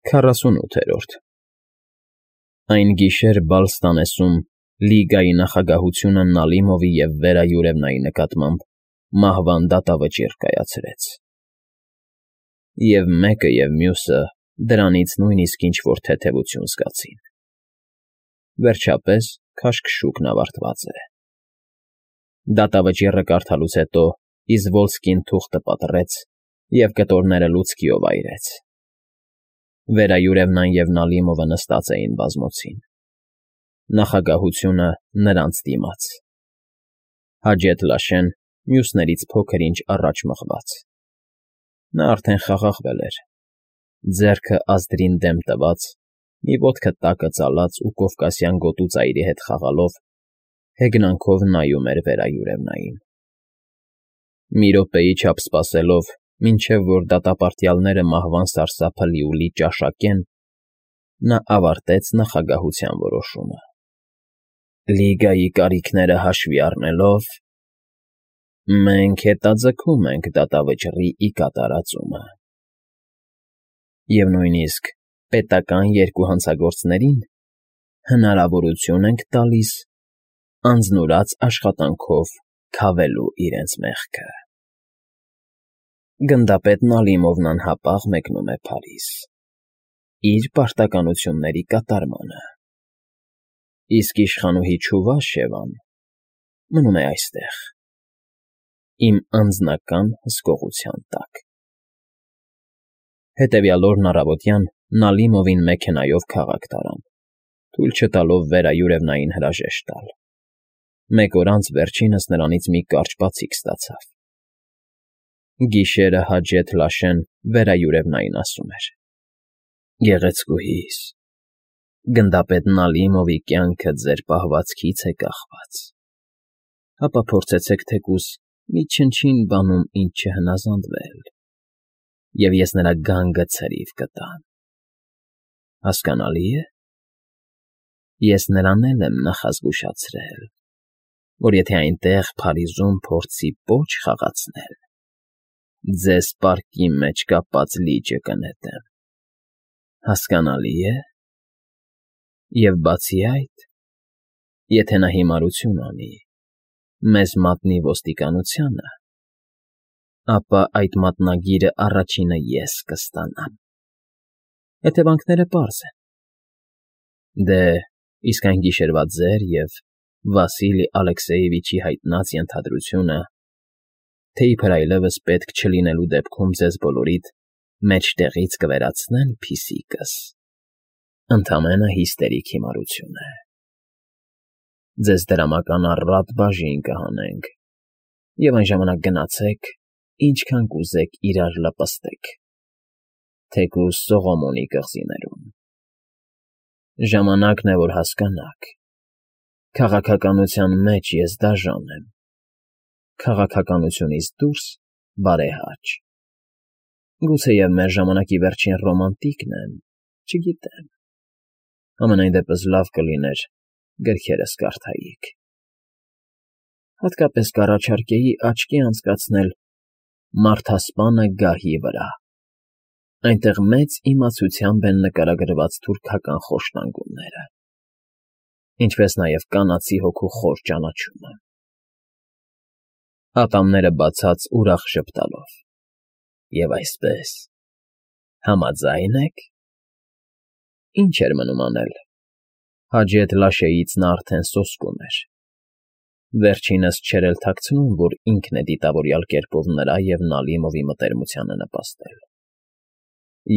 48 Այն գիշեր Բալստանեսում Լիգայի նախագահությունը Նալիմովի և Վերա Յուրևնայի նկատմամբ մահվան դատավճիռ կայացրեց, և մեկը և մյուսը դրանից նույնիսկ ինչ֊որ թեթևություն զգացին։ Վերջապես քաշքշուկն ավարտված է։ Դատավճիռը կարդալուց հետո Իզվոլսկին թուղթը պատռեց և կտորները լուցկիով այրեց։ Վերա Յուրևնան և Նալիմովը նստած էին բազմոցին, նախագահությունը նրանց դիմաց, Հաջեթ֊Լաշեն մյուսներից փոքր-ինչ առաջ մղված։ Նա արդեն խաղաղվել էր, ձեռքը ազդրին դեմ տված, մի ոտքը տակը ծալած ու կովկասյան գոտու ծայրի հետ խաղալով, հեգնանքով նայում էր Վերա Յուրևնային։ Մի րոպեի չափ սպասելով, մինչև որ դատապարտյալները մահվան սարսափը լիուլի ճաշակեն, նա ավարտեց նախագահության որոշումը. Լիգայի կարիքները հաշվի առնելով, մենք հետաձգում ենք դատավճռի ի կատարածումը, և նույնիսկ պետական երկու հանցագործներին հնարավորություն ենք տալիս անձնուրաց աշխատանքով քավելու իրենց մեղքը։ Գնդապետ Նալիմովն անհապաղ մեկնում է Փարիզ՝ իր պարտականությունների կատարմանը, իսկ իշխանուհի Չուվաշևան մնում է այստեղ, իմ անձնական հսկողության տակ։ Հետևյալ օրն առավոտյան Նալիմովին մեքենայով քաղաք տարան, թույլ չտալով Վերա Յուրևնային հրաժեշտ տալ։ Մեկ օր անց վերջինս նրանից մի կարճ բացիկ ստացավ։ Գիշերը Հաջեթ֊Լաշեն Վերա Յուրևնային ասում էր. Գեղեցկուհիս, գնդապետ Նալիմովի կյանքը ձեր պահվածքից է կախված, ապա փորձեցեք թեկուզ մի չնչին բանում ինձ չհնազանդվել, և ես նրա գանգը ցրիվ կտամ։ Հասկանալի՞ է։ Ես նրան էլ եմ նախազգուշացրել, որ եթե այնտեղ Փարիզում փորձի պոչ խաղացնել, ձեզ պարկի մեջ կապած լիճը կնետեմ։ Հասկանալի՞ է։ Եվ բացի այդ, եթե նա հիմարություն անի, մեզ մատնի ոստիկանությանը, ապա այդ մատնագիրը առաջինը ես կստանամ։ Հետևանքները պարզ են։ Դե, իսկ այն գիշերվա ձեր և Վասիլի Ալեքսեևիչի հայտնած ենթադրությունը, թե իբր այլևս պետք չլինելու դեպքում ձեզ բոլորիդ մեջտեղից կվերացնել փիսիկս, ընդամենը հիստերիկ հիմարություն է։ Ձեզ դրամական առատ բաժին կհանենք, և այն ժամանակ գնացեք, ինչքան կուզեք իրար լպստեք, թեկուզ Սողոմոնի կղզիներում։ Ժամանակն է, որ հասկանաք. քաղաքականության մեջ ես դաժան եմ, քաղաքականությունից դուրս բարեհաճ։ Գուցեև մեր ժամանակի վերջին ռոմանտիկն եմ, չգիտեմ։ Համենայն դեպս լավ կլիներ գրքերս կարդայիք։ Հատկապես կառաջարկեի աչքի անցկացնել Մարդասպանը գահի վրա, այնտեղ մեծ իմացությամբ են նկարագրված թուրքական խոշտանգումները, ինչպես նաև կանացի հոգու խոր ճանաչումը։ Ատամները բացած ուրախ ժպտալով։ Եվ այսպես, համաձա՞յն եք։ Ինչ էր մնում անել։ Հաջեթ֊Լաշեից նա արդեն սոսկում էր։ Վերջինս չէր էլ թաքցնում, որ ինքն է դիտավորյալ կերպով նրա և Նալիմովի մտերմությանը նպաստել։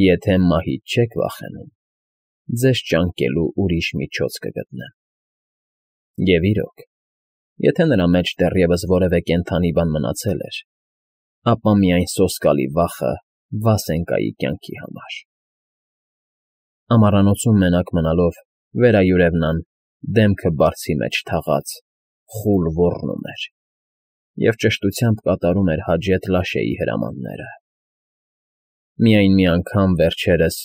Եթե մահից չեք վախենում, ձեզ ճանկելու ուրիշ միջոց կգտնեմ։ Եվ իրոք, եթե նրա մեջ դեռևս որևէ կենդանի բան մնացել էր, ապա միայն սոսկալի վախը Վասենկայի կյանքի համար։ Ամառանոցում մենակ մնալով Վերա Յուրևնան դեմքը բարձի մեջ թաղած խուլ ոռնում էր և ճշտությամբ կատարում էր Հաջեթ֊Լաշեի հրամանները։ Միայն մի անգամ վերջերս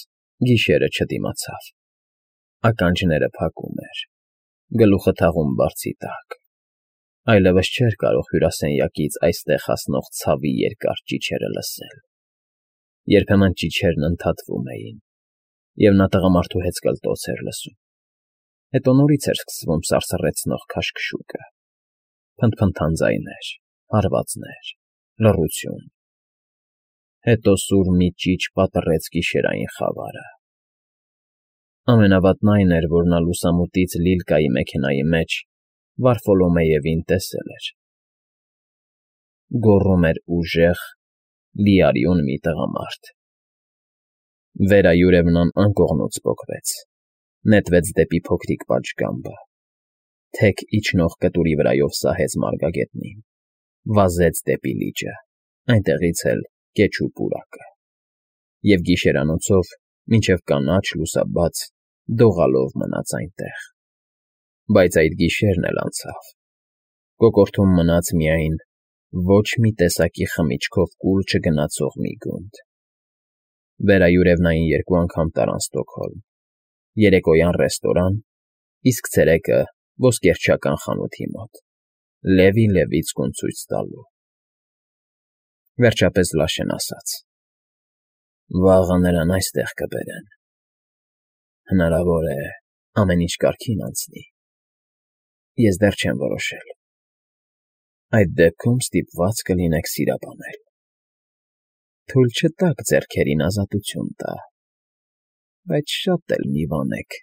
գիշերը չդիմացավ։ Ականջները փակում էր, գլուխը թաղում բարձի տակ, այլևս չէր կարող հյուրասենյակից այստեղ հասնող ցավի երկար ճիչերը լսել։ Երբեմն ճիչերն ընդհատվում էին, Եվ նա տղամարդու հեծկլտոց էր լսում։ Հետո նորից էր սկսվում սարսռեցնող քաշքշուկը, փնթփնթան ձայներ, հարվածներ, լռություն… Հետո սուր մի ճիչ պատռեց գիշերային խավարը… Ամենավատն այն էր, որ նա լուսամուտից Լիլկայի մեքենայի մեջ Վարֆոլոմեևին տեսել էր. գոռում էր ուժեղ, լիարյուն մի տղամարդ… Վերայուրևնան անկողնուց պոկվեց, նետվեց դեպի փոքրիկ պատշգամբը, թեք իջնող կտուրի վրայով սահեց մարգագետնին, վազեց դեպի լիճը, այնտեղից էլ կեչ ու պուրակը… Եվ գիշերանոցով մինչև կանաչ լուսաբաց դողալով մնաց այնտեղ… Բայց այդ գիշերն էլ անցավ… Կոկորդում մնաց միայն ոչ մի տեսակի խմիչքով կուլ չգնացող մի գունդ… Վերայուրևնային 2 անգամ տարան Ստոկհոլմ, երեկոյան ռեստորան, իսկ ցերեկը ոսկերչական խանութի մոտ, Լևի Լևիցկուն ցույց տալու… Վերջապես Լաշեն ասաց. «Վաղը նրան այստեղ կբերեն… Հնարավոր է, ամեն ինչ կարգին անցնի… Ես դեռ չեմ որոշել… Այդ դեպքում ստիպված կլինեք սիրապանել… Թույլ չտաք ձեռքերին ազատություն տա, բայց շատ էլ մի վանեք,